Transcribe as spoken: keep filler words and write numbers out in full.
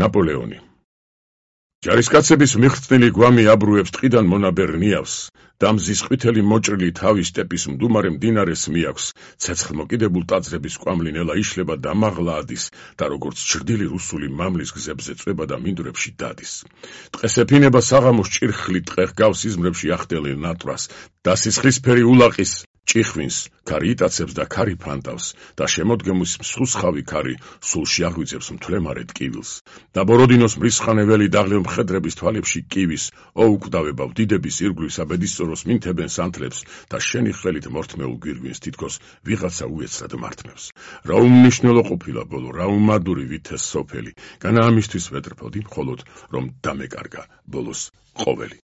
ნაპოლეონი. ჯარისკაცების მიღწნილი გვამი აბრუებს ტყიდან მონაბერ ნიავს, და მზის ყვითელი მოჭრილი თავი სტეპის მდუმარე მდინარეს მიაქვს, ცეცხლმოკიდებულ ტაძრების კვამლი ნელა იშლება და მაღლა ადის და როგორც ჩრდილი რუსული მამლის გზებზე წვება და მინდვრებში დადის. ტყეს ეფინება საღამოს ჭირხლი ტყე ჰგავს იზმრებში ახტელი ნატვრას და სისხლისფერი ულაყის ჭიხვინს ქარი იტაცებს და ქარი ფანტავს და შემოდგემის მსხლსხავი ქარი სულში აღვიძებს მთლემარე ტკივილს და ბოროდინოს მრისხანეველი დაღლილ მხედრების თვალებში კივის ოუკვდავებავ დიდების ირგვლივსა ბედისწოროს მინთებენ სანთლებს და შენი ხელით მორთმეულ გვირგვინს თითქოს ვიღაცა უეცრად მართმევს. რა უმნიშვნელო ყოფილა ბოლო, რა უმადური ვითეს სოფელი, განა ამისთვის ვეტრფოდი მხოლოდ რომ დამეკარგა ბოლოს ყოველი.